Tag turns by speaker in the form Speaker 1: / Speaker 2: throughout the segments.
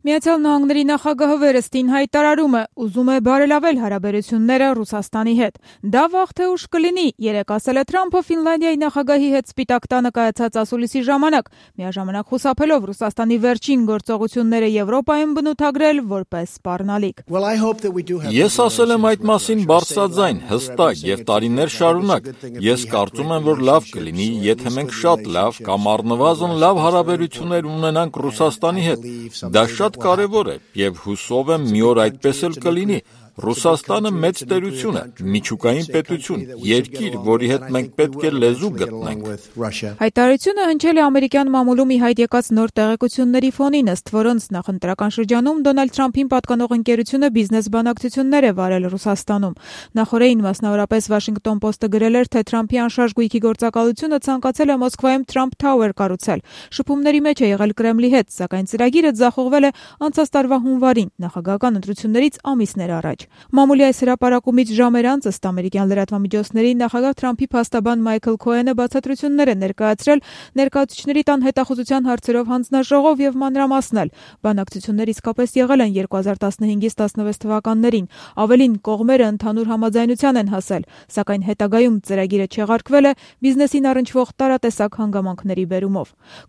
Speaker 1: Միացյալ Նահանգների նախագահը վերստին հայտարարում է, ուզում է բարելավել հարաբերությունները Ռուսաստանի հետ։ Դա վաղ թե ուշ կլինի, երեկ ասել է Թրամփը Ֆինլանդիայի նախագահի հետ Սպիտակ տանը կայացած ասուլիսի ժամանակ, միաժամանակ խուսափելով Ռուսաստանի վերջին գործողությունները Եվրոպայում բնութագրել որպես սպառնալիք։
Speaker 2: Ես ասել եմ այդ մասին բարձրաձայն, հստակ եւ տարիներ շարունակ։ Ես կարծում եմ, որ լավ կլինի, եթե մենք շատ լավ կամ առնվազն լավ հարաբերություններ ունենանք Ռուսաստանի հետ։ Դա շատ կարևոր է եւ հուսով եմ մի օր այդպես էլ կլինի։ Ռուսաստանը մեծ տերություն է, միջուկային պետություն, երկիր, որի հետ մենք պետք է լեզու գտնենք։
Speaker 1: Հայտարարությունը հնչել է ամերիկյան մամուլում ի հայտ եկած նոր տեղեկությունների ֆոնին, ըստ որոնց նախընտրական շրջանում Դոնալդ Թրամփին պատկանող ընկերությունը բիզնես բանակցություններ է վարել Ռուսաստանում։ Նախորդին մասնավորապես Washington Post-ը գրել էր, թե Թրամփի անշարժ գույքի գործակալությունը ցանկացել է Մոսկվայում Trump Tower կառուցել։ Շփումների մեջ է եղել Կրեմլի հետ, սակայն ծրագիրը ձախողվել է անցած տարվա հունվարին, նախագահական ընտրություններից ամիսներ առաջ։ Մամուլի այս հրապարակումից ժամեր անց, ըստ ամերիկյան լրատվամիջոցների, նախագահ Թրամփի փաստաբան Մայքլ Քոենը բացատրություններ է ներկայացրել Ներկայացուցիչների տան հետախուզության հարցերով հանձնաժողով եւ մանրամասնել։ Բանակցություններ իսկապես եղել են 2015-ից 16 թվականներին։ Ավելին, կողմերը ընդհանուր համաձայնության են հասել, սակայն հետագայում ծրագիրը չեղարկվել է բիզնեսին առնչվող տարատեսակ հանգամանքների բերումով։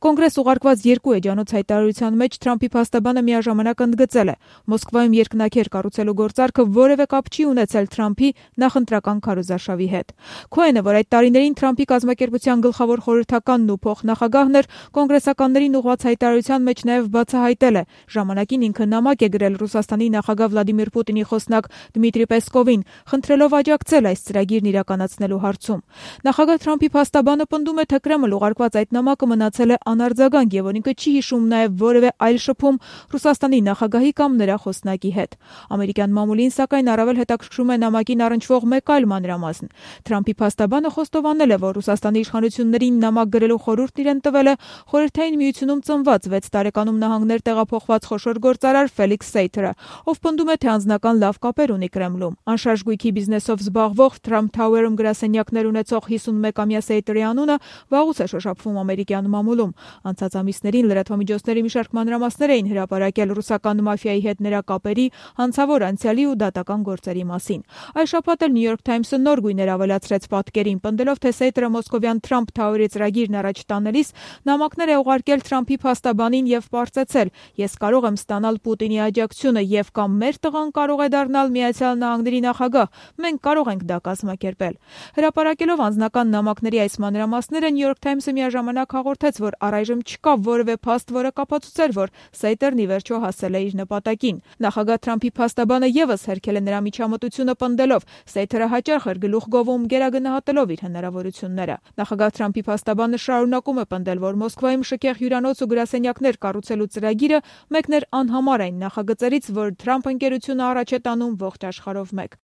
Speaker 1: Կոնգրես ուղարկված երկու էջանոց հայտարարության մեջ Թրամփի փաստաբանը միաժամանակ ընդգծել է. Մոսկվայում երկնաքեր կառուցելու գործարքը որևէ կապ չի ունեցել Թրամփի նախընտրական քարոզարշավի հետ։ Քոենը, որ այդ տարիներին Թրամփի կազմակերպության գլխավոր խորհրդականն ու փոխնախագահն էր, կոնգրեսականներին ուղղված հայտարարության մեջ նաև բացահայտել է. ժամանակին ինքը նամակ է գրել Ռուսաստանի նախագահ Վլադիմիր Պուտինի խոսնակ Դմիտրի Պեսկովին, խնդրելով աջակցել այս ծրագիրն իրականացնելու հարցում։ Նախագահ Թրամփի փաստաբանը պնդում է, թե Կրեմլ ուղարկված այդ նամակը մնացել է անարձագանք եւ որ ինքը չի հիշում նաև որևէ այլ շփում Ռուսաստանի նախագահի կամ նրա խոսնակի հետ։ Ամերիկյան մամուլին, սակայն, առավել հետաքրքրում է նամակին առնչվող մեկ այլ մանրամասն։ Թրամփի փաստաբանը խոստովանել է, որ Ռուսաստանի իշխանություններին նամակ գրելու խորհուրդ իրեն տվել է Խորհրդային Միությունում ծնված 6 տարեկանում նահանգներ տեղափոխված խոշոր գործարար Ֆելիքս Սեյթերը, ով պնդում է, թե անձնական լավ կապեր ունի Կրեմլում։ Անշարժ գույքի բիզնեսով զբաղվող Trump Tower-ում գրասենյակներ ունեցող 51-ամյա Սեյթերի անունը վաղուց է շոշափվում ամերիկյան մամուլում։ Անցած ամիսներին լրատվամիջոցների մի շարք մանրամասներ էին հրապարակել ռուսական մաֆիայի հետ նրա կապերի, հանցավոր անցյալի ու դատական գործերի մասին։ Այս շաբաթ էլ New York Times-ը նոր գույներ ավելացրեց պատկերին, պնդելով, թե Սեյթերը մոսկովյան Trump Tower-ի ծրագիրն առաջ տանելիս նամակներ է ուղարկել Թրամփի փաստաբանին եւ պարզեցել. ես կարող եմ ստանալ Պուտինի աջակցությունը եւ կամ մեր տղան կարող է դառնալ Միացյալ Նահանգների նախագահ, մենք կարող ենք դա կազմակերպել։ Հրապարակելով անձնական նամակների այս մանրամասները New York Times-ը միաժամանակ հաղորդեց, որ առայժմ չկա որևէ փաստ, որը կապացուցեր, որ Սեյթերն ի վերջո հասել է իր նպատակին։ Նախագահ Թրամփի փաստաբանը եւս հերքել է նրա միջամտությունը պնդելով. Սեյթերը հաճախ էր գլուխ գովում գերագնահատելով իր հնարավորությունները։ Նախագահ Թրամփի փաստաբանը շարունակում է պնդել, որ Մոսկվայում շքեղ հյուրանոց ու գրասենյակներ կառուցելու ծրագիրը մեկն էր անհամար այն նախագծերից, որ Թրամփ ընկերությունը առաջ է տանում ողջ աշխարհով մեկ։